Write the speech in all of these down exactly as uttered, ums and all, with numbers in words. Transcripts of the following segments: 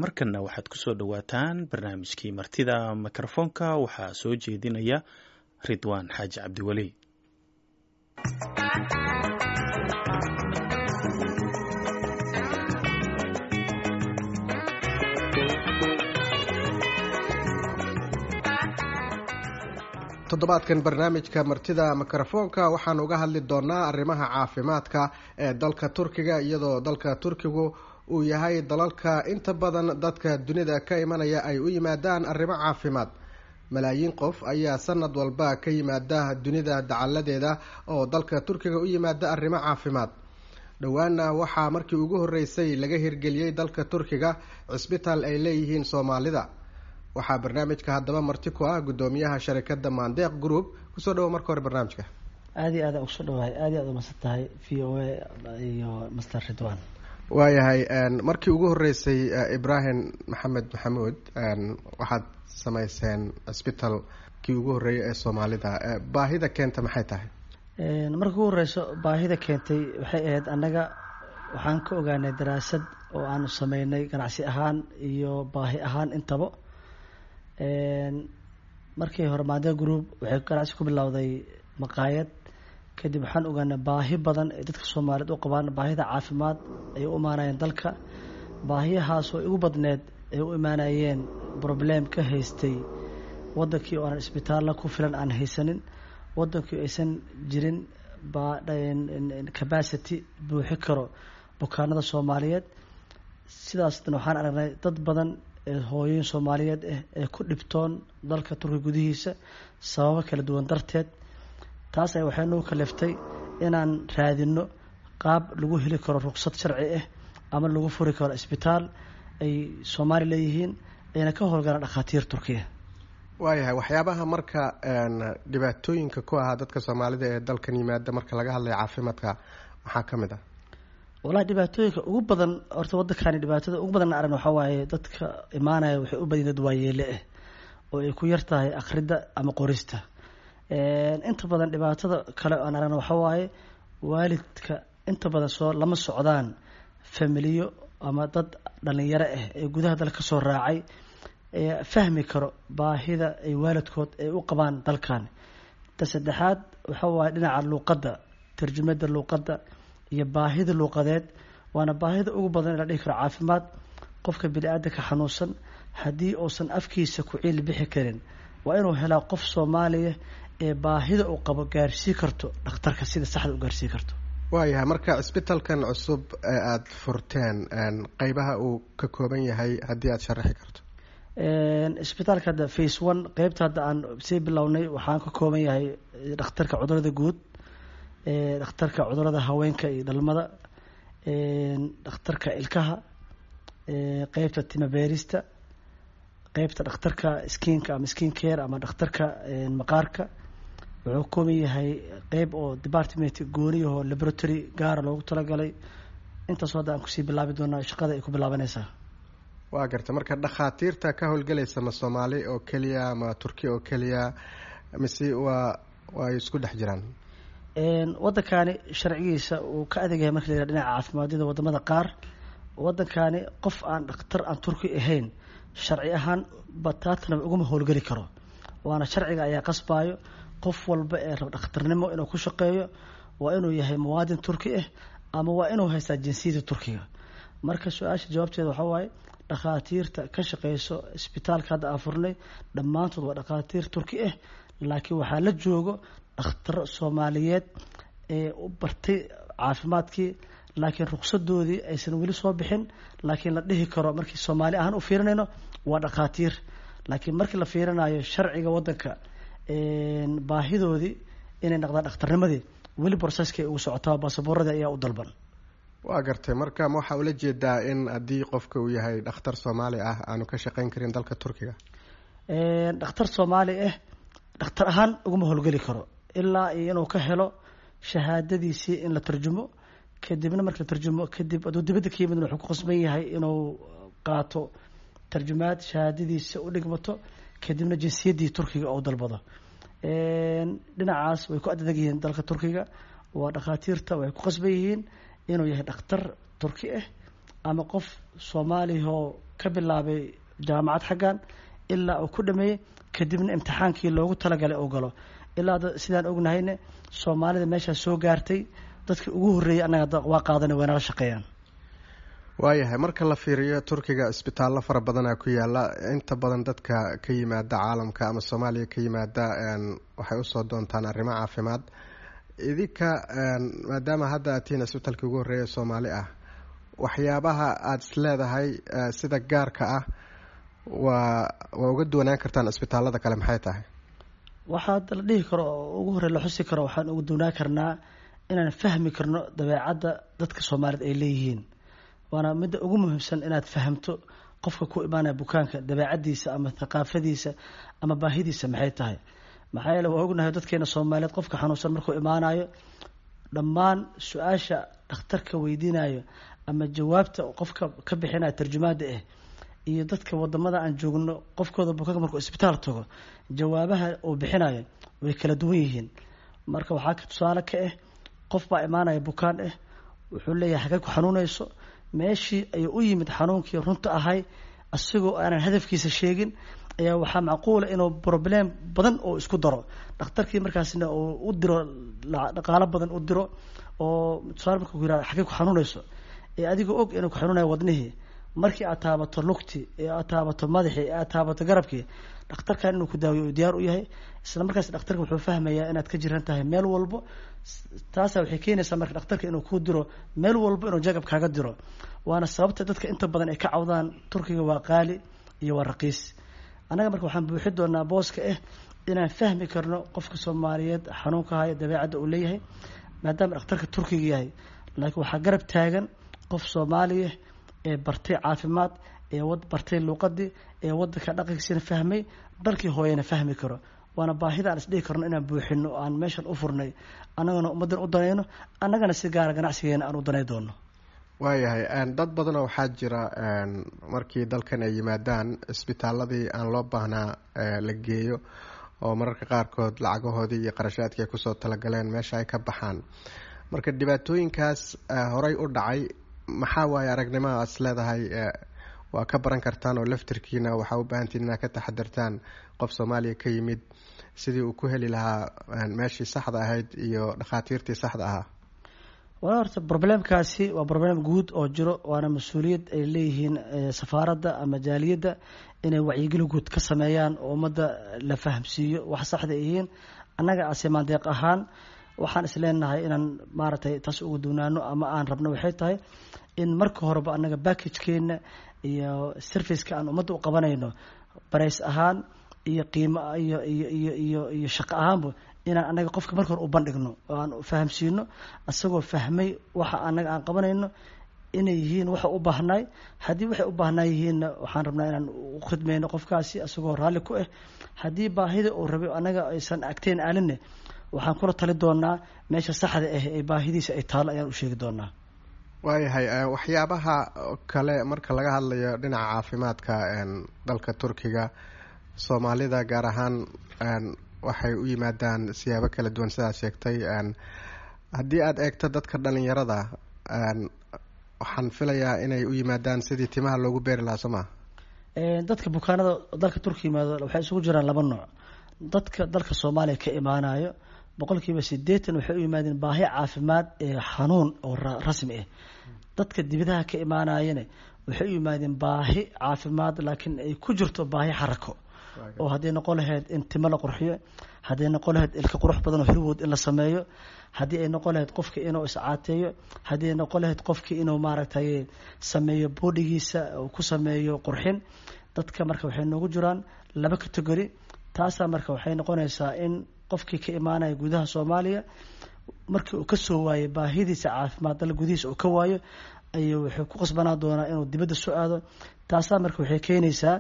Markanna waxaad ku soo dhowaataan barnaamijkii Martida Mikrofoonka. Waxaa soo jeedinaya Ridwaan Xaaji Cabdiweli. Toddobaadkan barnaamijka Martida Mikrofoonka waxaan uga hadli doonaa arrimaha caafimaadka ee dalka Turkiga, iyadoo dalka Turkigu uu yahay dalalka inta badan dadka dunida ka imanaya ay u yimaadaan arrimo caafimaad. Malaayiin qof ayaa sanad walba ka yimaada dunida dacaladeeda oo dalka Turkiga u yimaada arrimo caafimaad. Dhowaana waxaa markii ugu horreysay laga hirgeliyey dalka Turkiga cisbitaal ay leeyihiin Soomaalida. Waxaa barnaamijka haddaba marti ku ah guddoomiyaha sharikadda Maandeeq Group. Kusoo dhawo marka hore barnaamijka. Aad iyo aad aan kusoo dhawahay, aad iyo aad umasan tahay V O A iyo Master Ridwan. Waayahay, markii ugu horreysay, Ibrahim Maxamed Maxamuud, waxaad sameyseen cisbitaal kii ugu horreeyay ee Soomaalida. Baahida keenta maxay tahay? Marka ugu horeyso, baahida keentay waxay ahayd, annaga waxaan ka ogaanay daraasad oo aanu sameynay ganacsi ahaan iyo baahi ahaan intaba. Markii hore Maandeeq Group waxay ganacsi ku bilowday maqaayad. Kadib waxaan ogaanay baahi badan ay dadka Soomaaliyeed u qabaan, baahida caafimaad ay u imaanayeen dalka, baahiyahaas oo igu badneed ay u imaanayeen problem ka haystay wadankii oo aanan isbitaalla ku filan aan haysanin, wadankii aysan jirin capacity buuxi karo bukaanada Soomaaliyeed. Sidaasna waxaan aragnay dad badan ee hooyooyin Soomaaliyeed ah ee ku dhibtoon dalka Turkiga gudihiisa sababo kala duwan darteed. Taas ay waxay nagu kaliftay inaan raadino qaab lagu heli karo ruqsad sharci ah ama lagu furi karo isbitaal ay Soomaali leeyihiin, ayna ka howlgalaan dhakhaatiir Turkiya. Waayahay, waxyaabaha marka dhibaatooyinka ku ahaa dadka Soomaalida ee dalkan yimaada marka laga hadlayo caafimaadka maxaa ka mid ah? Wallahi, dhibaatooyinka ugu badan horta waddankani dhibaatada ugu badan aragna waxaa waaye, dadka imaanaya waxay u badan dad waayeele ah oo ay ku yar tahay akhridda ama qorista. Inta badan dhibaatada kale aan aragna waxaa waaye, waalidka inta badan soo lama socdaan familiyo ama dad dhalinyaro ah ee gudaha dalka kasoo raacay ee fahmi karo baahida ay waalidkood ay u qabaan dalkan. Ta saddexaad waxa waaye dhinaca luuqadda, tarjumada luuqadda iyo baahida luuqadeed, waana baahida ugu badan la dhihi karo caafimaad. Qofka bini-aadanka xanuunsan haddii uusan afkiisa ku ciil bixi karin, waa inuu helaa qof Soomaaliya ee baahida uu qabo gaarsii karto dhakhtarka, sida saxda u gaarsii karto. Waayahay, marka cisbitalkan cusub ee aada furteen, qeybaha uu ka kooban yahay haddii aada sharaxi karto? Isbitaalka hadda phase one, qeybta hadda aan sii bilownay, waxaan ka kooban yahay dhakhtarka cudurada guud, dhakhtarka cudurada haweenka iyo dhalmada, dhakhtarka ilkaha, qeybta timabeerista, qeybta dhakhtarka skinka ama skin care ama dhakhtarka maqaarka. Wuxuu ka kooban yahay qeyb oo department gooniyahoo laboratory gaara loogu talagalay. Intaasoo hadda aan kusii bilaabi doonaa shaqada ay ku bilaabanaysaa. Waa garta. Marka dhakhaatiirta ka howlgelaysa ma Soomaali oo keliya ma Turki oo keliya mise waa waa ay isku dhex jiraan? Waddankani sharcigiisa uu ka adag yahay marka la yiraha dhinaca caafimaadiyada wadamada qaar. Waddankani qof aan dhakhtar aan Turki ahayn sharci ahaan bataatana uguma howlgeli karo, waana sharciga ayaa qasbayo. Qof walba ee raba dhakhtarnimo inuu ku shaqeeyo waa inuu yahay muwaadin Turki ah ama waa inuu haystaa jinsiyada Turkiga. Marka su-aasha jawaabteeda waxaa waaye, dhakhaatiirta ka shaqeyso isbitaalka hadda aan furnay dhammaantood waa dhakhaatiir Turki ah, laakiin waxaa la joogo dhakhtaro Soomaaliyeed ee u bartay caafimaadkii, laakiin ruqsadoodii aysan weli soo bixin, laakiin la dhihi karo markii Soomaali ahaan u fiirinayno waa dhakhaatiir, laakiin markii la fiirinayo sharciga waddanka baahidoodii inay noqdaan dhakhtarnimadii weli processkay ugu socotaa, baasaboorradii ayaa u dalban. Waa gartay. Marka ma waxaa ula jeedaa in haddii qofka uu yahay dhakhtar Soomaali ah aanu ka shaqeyn karin dalka Turkiga? Dhakhtar Soomaali ah dhakhtar ahaan uguma howlgeli karo ilaa iyo inuu ka helo shahaadadiisii in la tarjumo. Kadibna marka la tarjumo kadib, hadduu dibadda ka yimidna, wuxuu ku qasban yahay inuu qaato tarjumaad shahaadadiisa u dhigmato, kadibna jinsiyaddii Turkiga oo dalbado. Dhinacaas way ku adadag yihiin dalka Turkiga, waa dhakhaatiirta waxay ku qasban yihiin inuu yahay dhakhtar Turki ah Ama qof Soomaaliyahoo ka bilaabay jaamacad xaggan ilaa uu ku dhameeyey, kadibna imtixaankii loogu talagalay uu galo. Ilaa sidaan ognahayne, Soomaalida meeshaas soo gaartay dadkii ugu horreeyay annaga waa qaadanay, waynala shaqeeyaan. Waayahay, marka la fiiriyo Turkiga isbitaallo fara badanaa ku yaala. Inta badan dadka ka yimaada caalamka ama Soomaaliya ka yimaada waxay usoo doontaan arrimo caafimaad. Idinka, maadaama hadda aad tihiin isbitaalkii ugu horreeya Soomaali ah, waxyaabaha aada is leedahay sida gaarka ah waa waa uga duwanaan kartaan isbitaallada kale maxay tahay? Waxaa la dhihi karo oo ugu horey la xusi karo, waxaan uga duwanaan karnaa inaan fahmi karno dabeecadda dadka Soomaalida ay leeyihiin. Waana midda ugu muhiimsan, inaad fahamto qofka ku imaanaya bukaanka dabeecaddiisa ama thaqaafadiisa ama baahidiisa maxay tahay. Maxaa yeele, waa ognahay dadkeena Soomaaliyeed, qofka xanuunsan markuu imaanayo, dhammaan su-aasha dhakhtarka weydiinayo ama jawaabta qofka ka bixinayo tarjumaada ah iyo dadka wadamada aan joogno qofkooda bukaanka markuu isbitaal tago jawaabaha uu bixinayo way kala duwan yihiin. Marka waxaa ka tusaale ka ah, qof baa imaanaya bukaan ah, wuxuu leeyahay xagee ku xanuunayso? Meeshii ayuu u yimid xanuunkii runta ahay, isagoo aanan hadafkiisa sheegin ayaa waxaa macquula inuu problem badan oo isku daro dhakhtarkii, markaasna uu u diro dhaqaalo badan u diro. Oo tusaale, marka ku yiraahdo xagee ku xanuunayso, ee adigoo og inuu ku xanuunayo wadnihii, markii aad taabato lugti, ee aad taabato madaxii, ee aad taabato garabkii, dhakhtarkan inuu ku daawiyo uu diyaar u yahay. Isla markaas dhakhtarka wuxuu fahmayaa inaad ka jiran tahay meel walbo. Taasa waxay keenaysaa marka dhakhtarka inuu kuu diro meel walbo, inuu jagab kaaga diro. Waana sababta dadka inta badan ay ka cawdaan Turkiga waa qaali iyo waa raqiis. Annaga marka waxaan buuxi doonaa booska ah inaan fahmi karno qofka Soomaaliyeed xanuunka haya, dabeecadda uu leeyahay, maadaama dhakhtarka Turkiga yahay, laakiin waxaa garab taagan qof Soomaaliya ee bartay caafimaad, ee bartay luuqadii, ee wadanka dhaqankiisana fahmay, dalkii hooyana fahmi karo. Waana baahida aan isdhihi karno inaan buuxino, aan meeshan u furnay, annagana ummaddan u danayno, annagana si gaara ganacsigeena aan u danay doono. Waayahay, dad badanoo waxaa jira markii dalkan ay yimaadaan isbitaaladii aan loo baahnaa la geeyo, oo mararka qaarkood lacagahoodii iyo qarashaadkii ay kusoo talagaleen meesha ay ka baxaan. Marka dhibaatooyinkaas horey u dhacay, maxaa waaye aragnimada is leedahay waa ka baran kartaan, oo laftirkiina waxaa u baahantiin inaad ka taxadartaan qof Soomaaliya ka yimid sidii uu ku heli lahaa meeshii saxda ahayd iyo dhakhaatiirtii saxda ahaa? Walaa, horta problemkaasi waa problem guud oo jiro, waana mas-uuliyad ay leeyihiin safaaradda ama jaaliyadda inay wacyigeli guud ka sameeyaan oo ummadda la fahamsiiyo wax saxda yihiin. Annaga asimaandeeq ahaan waxaan is leenahay inaan maaragtay taas uga duunaano ama aan rabno waxay tahay in marka horeba annaga packagekeena iyo serviceka aan ummadda u qabanayno, price ahaan iyo qiimo iyo iyo iyo iyo iyo shaqo ahaanba, inaan annaga qofka marka hore u bandhigno oo aan fahamsiino, isagoo fahmay waxa annaga aan qabanayno inay yihiin waxa u baahnay. Haddii waxay u baahnaa yihiinna, waxaan rabnaa inaan u khidmeyno qofkaasi isagoo raalli ku ah. Haddii baahida uu rabay annaga aysan agteen aalinne, waxaan kula tali doonaa meesha saxda ah ee baahidiisa ay taalo ayaan u sheegi doonaa. Waayahay, waxyaabaha kale marka laga hadlayo dhinaca caafimaadka dalka Turkiga, Soomaalida gaar ahaan waxay u yimaadaan siyaabo kala duwan sidaad sheegtay. Haddii aada eegto dadka dhalinyarada, waxaan filayaa inay u yimaadaan sidii timaha loogu beeri lahaa, soo maa? Dadka bukaanada dalka Turkiga yimaado waxay isugu jiraan laba nooc. Dadka dalka Soomaaliya ka imaanayo boqolkiiba siddeetan waxay u yimaadeen baahi caafimaad ee xanuun oo rasmi ah. Dadka dibadaha ka imaanayana waxay u yimaadeen baahi caafimaad, laakiin ay ku jirto baahi xarako, oo hadday noqon lahayd in timo la qurxiyo, hadday noqon lahayd ilka qurux badan oo Hollywood in la sameeyo, haddii ay noqon lahayd qofka inuu iscaateeyo, haddii ay noqon lahayd qofki inuu maaragtay sameeyo boodhigiisa uu ku sameeyo qurxin. Dadka marka waxay noogu jiraan laba category. Taasaa marka waxay noqonaysaa in qofkii ka imaanaya gudaha Soomaaliya, markii uu kasoo waayo baahidiisa caafimaad dal gudihiisa uu ka waayo, ayuu wuxuu ku qasbanaa doonaa inuu dibadda soo aado. Taasaa marka waxay keenaysaa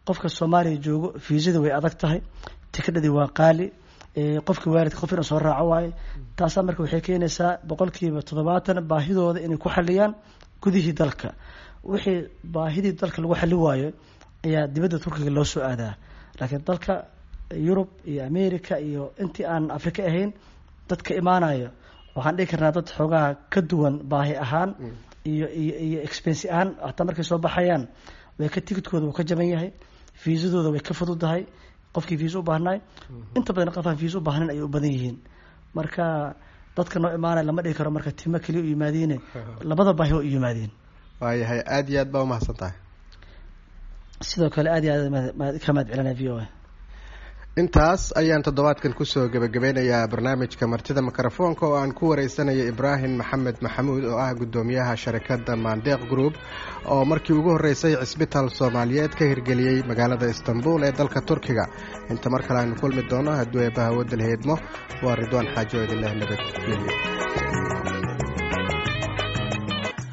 qofka Soomaaliya joogo, fiisada way adag tahay, tikidhadii waa qaali, qofka waalidka qof inuu soo raaco waayo. Taasaa marka waxay keenaysaa boqolkiiba toddobaatan baahidooda inay ku xaliyaan gudihii dalka. Wixii baahidii dalka lagu xali waayo ayaa dibadda Turkiga loo soo aadaa. Laakiin dalka Yurub iyo America iyo intii aan Afrika ahayn dadka imaanayo, waxaan dhihi karnaa dad xoogaha ka duwan baahi ahaan. Iyo iyo iyo expense ahaan hataa markay soo baxayaan way ka ticketkooda wuu ka jaban yahay, fiisadooda way ka fududahay qofkii fiisa u baahnaay. Inta badan qof aan fiisa u baahnayn ayay u badan yihiin. Marka dadka noo imaanaya lama dhihi karo marka timo keliya u yimaadiine, labada baahi oo u yimaadeen. Waayahay, aada iyo aad baa umahadsan tahay. Sidoo kale aad iyo aad ka mahad celinaya V O A. Intaas ayaan toddobaadkan kusoo gebagabeynayaa barnaamijka martida mikrofoonka oo aan ku wareysanaya Ibraahim Maxamed Maxamuud oo ah guddoomiyaha sharikadda Maandeeq Group oo markii ugu horreysay cisbitaal Soomaaliyeed ka hirgeliyey magaalada Istanbul ee dalka Turkiga. Inta mar kale aynu kulmi doono hadduu eebbaha wadal heedmo, waa Ridwaan Xaajo idinleh nabadgelyo.